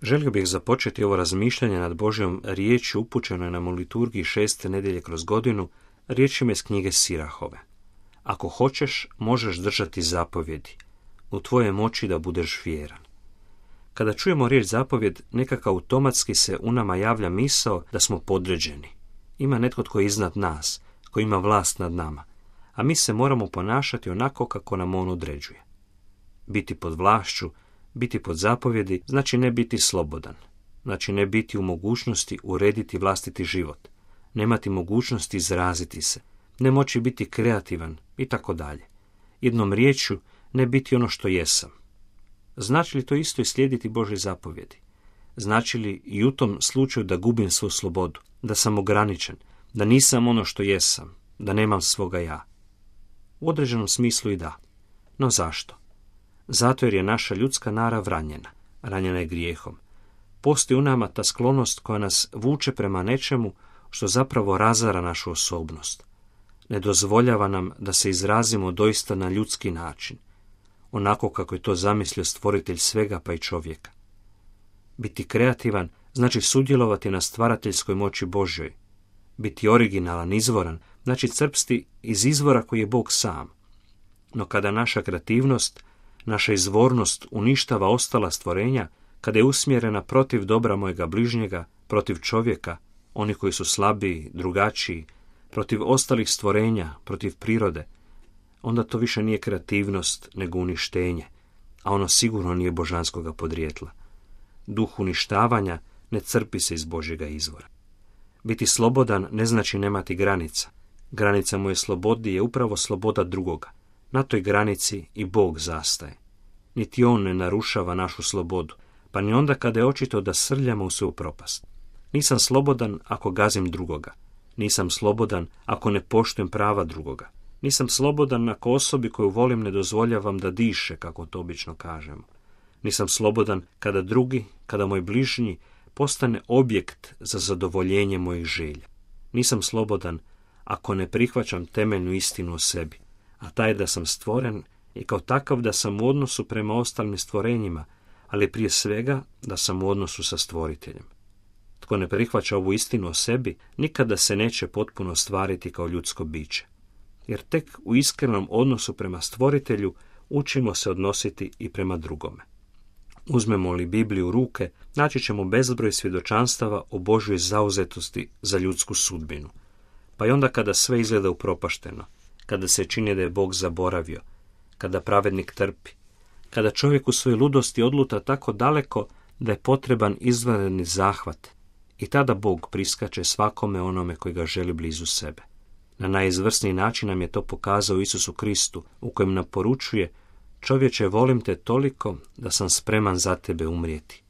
Želio bih započeti ovo razmišljanje nad Božjom riječju upućenoj nam u liturgiji 6. nedjelje kroz godinu, riječima iz knjige Sirahove. Ako hoćeš, možeš držati zapovjedi. U tvojoj moći da budeš vjeran. Kada čujemo riječ zapovjed, nekako automatski se u nama javlja misao da smo podređeni. Ima netko tko je iznad nas, koji ima vlast nad nama, a mi se moramo ponašati onako kako nam on određuje. Biti pod vlašću, biti pod zapovjedi, znači ne biti slobodan. Znači ne biti u mogućnosti urediti vlastiti život, nemati mogućnosti izraziti se, ne moći biti kreativan i tako dalje. Jednom riječju, ne biti ono što jesam. Znači li to isto i slijediti Božje zapovjedi? Znači li i u tom slučaju da gubim svoju slobodu, da sam ograničen, da nisam ono što jesam, da nemam svoga ja? U određenom smislu i da. No zašto? Zato jer je naša ljudska narav ranjena. Ranjena je grijehom. Postoji u nama ta sklonost koja nas vuče prema nečemu što zapravo razara našu osobnost. Ne dozvoljava nam da se izrazimo doista na ljudski način, onako kako je to zamislio stvoritelj svega pa i čovjeka. Biti kreativan znači sudjelovati na stvarateljskoj moći Božjoj. Biti originalan, izvoran, znači crpsti iz izvora koji je Bog sam. No kada naša kreativnost, naša izvornost uništava ostala stvorenja, kada je usmjerena protiv dobra mojega bližnjega, protiv čovjeka, oni koji su slabiji, drugačiji, protiv ostalih stvorenja, protiv prirode, onda to više nije kreativnost, nego uništenje, a ono sigurno nije božanskoga podrijetla. Duh uništavanja ne crpi se iz Božjega izvora. Biti slobodan ne znači nemati granica. Granica moje slobodi je upravo sloboda drugoga. Na toj granici i Bog zastaje. Niti on ne narušava našu slobodu, pa ni onda kada je očito da srljamo u svoju propast. Nisam slobodan ako gazim drugoga. Nisam slobodan ako ne poštujem prava drugoga. Nisam slobodan ako osobi koju volim ne dozvoljavam da diše, kako to obično kažemo. Nisam slobodan kada drugi, kada moj bližnji postane objekt za zadovoljenje mojih želja. Nisam slobodan ako ne prihvaćam temeljnu istinu o sebi, a taj da sam stvoren i kao takav da sam u odnosu prema ostalim stvorenjima, ali prije svega da sam u odnosu sa stvoriteljem. Tko ne prihvaća ovu istinu o sebi, nikada se neće potpuno ostvariti kao ljudsko biće. Jer tek u iskrenom odnosu prema stvoritelju učimo se odnositi i prema drugome. Uzmemo li Bibliju u ruke, naći ćemo bezbroj svjedočanstava o Božjoj zauzetosti za ljudsku sudbinu. Pa i onda kada sve izgleda upropašteno, kada se čini da je Bog zaboravio, kada pravednik trpi, kada čovjek u svojoj ludosti odluta tako daleko da je potreban izvanredni zahvat, i tada Bog priskače svakome onome koji ga želi blizu sebe. Na najizvrsniji način nam je to pokazao Isusu Kristu, u kojem nam poručuje: čovječe, volim te toliko da sam spreman za tebe umrijeti.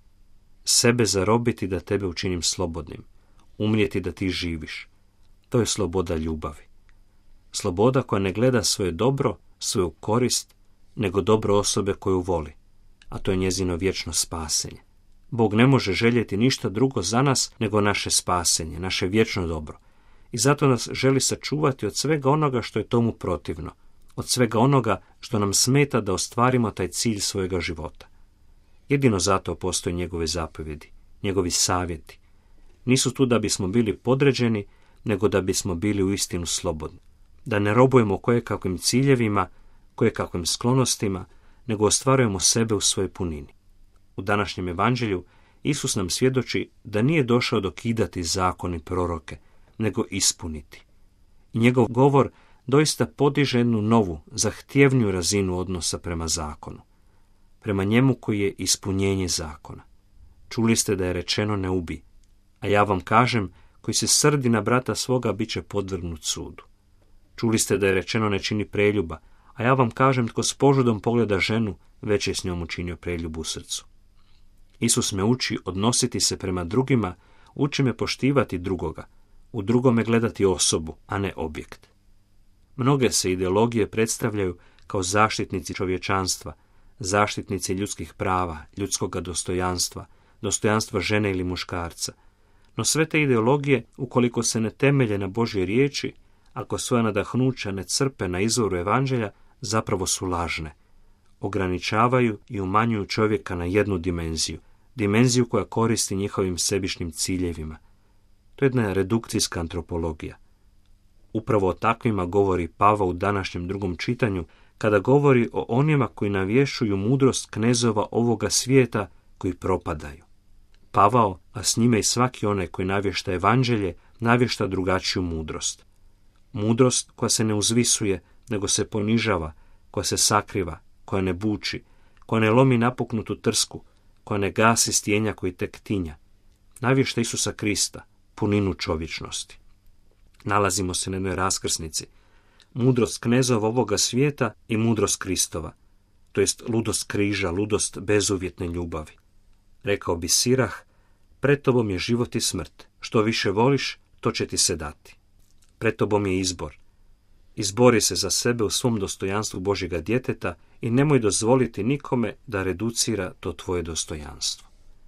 Sebe zarobiti da tebe učinim slobodnim, umrijeti da ti živiš. To je sloboda ljubavi. Sloboda koja ne gleda svoje dobro, svoju korist, nego dobro osobe koju voli, a to je njezino vječno spasenje. Bog ne može željeti ništa drugo za nas nego naše spasenje, naše vječno dobro. I zato nas želi sačuvati od svega onoga što je tomu protivno, od svega onoga što nam smeta da ostvarimo taj cilj svojega života. Jedino zato postoje njegove zapovjedi, njegovi savjeti. Nisu tu da bismo bili podređeni, nego da bismo bili uistinu slobodni. Da ne robujemo kojekakvim ciljevima, kojekakvim sklonostima, nego ostvarujemo sebe u svojoj punini. U današnjem evanđelju Isus nam svjedoči da nije došao dokidati zakon i proroke, nego ispuniti. I njegov govor doista podiže jednu novu, zahtjevniju razinu odnosa prema zakonu. Prema njemu koji je ispunjenje zakona. Čuli ste da je rečeno ne ubij, a ja vam kažem, koji se srdi na brata svoga bit će podvrgnut sudu. Čuli ste da je rečeno ne čini preljuba, a ja vam kažem, tko s požudom pogleda ženu, već je s njom učinio preljubu u srcu. Isus me uči odnositi se prema drugima, uči me poštivati drugoga, u drugome gledati osobu, a ne objekt. Mnoge se ideologije predstavljaju kao zaštitnici čovječanstva, zaštitnici ljudskih prava, ljudskoga dostojanstva, dostojanstva žene ili muškarca. No sve te ideologije, ukoliko se ne temelje na Božjoj riječi, ako svoja nadahnuća ne crpe na izvoru evanđelja, zapravo su lažne. Ograničavaju i umanjuju čovjeka na jednu dimenziju, dimenziju koja koristi njihovim sebičnim ciljevima. To je jedna redukcijska antropologija. Upravo o takvima govori Pavao u današnjem 2. čitanju, kada govori o onima koji navješuju mudrost knezova ovoga svijeta koji propadaju. Pavao, a s njime i svaki onaj koji navješta evanđelje, navješta drugačiju mudrost. Mudrost koja se ne uzvisuje, nego se ponižava, koja se sakriva, koja ne buči, koja ne lomi napuknutu trsku, koja ne gasi stjenja koji tek tinja. Navješta Isusa Krista, puninu čovječnosti. Nalazimo se na jednoj raskrsnici. Mudrost knezova ovoga svijeta i mudrost Kristova, to jest ludost križa, ludost bezuvjetne ljubavi. Rekao bi Sirah, pred tobom je život i smrt, što više voliš, to će ti se dati. Pred tobom je izbor. Izbori se za sebe u svom dostojanstvu Božjega djeteta i nemoj dozvoliti nikome da reducira to tvoje dostojanstvo.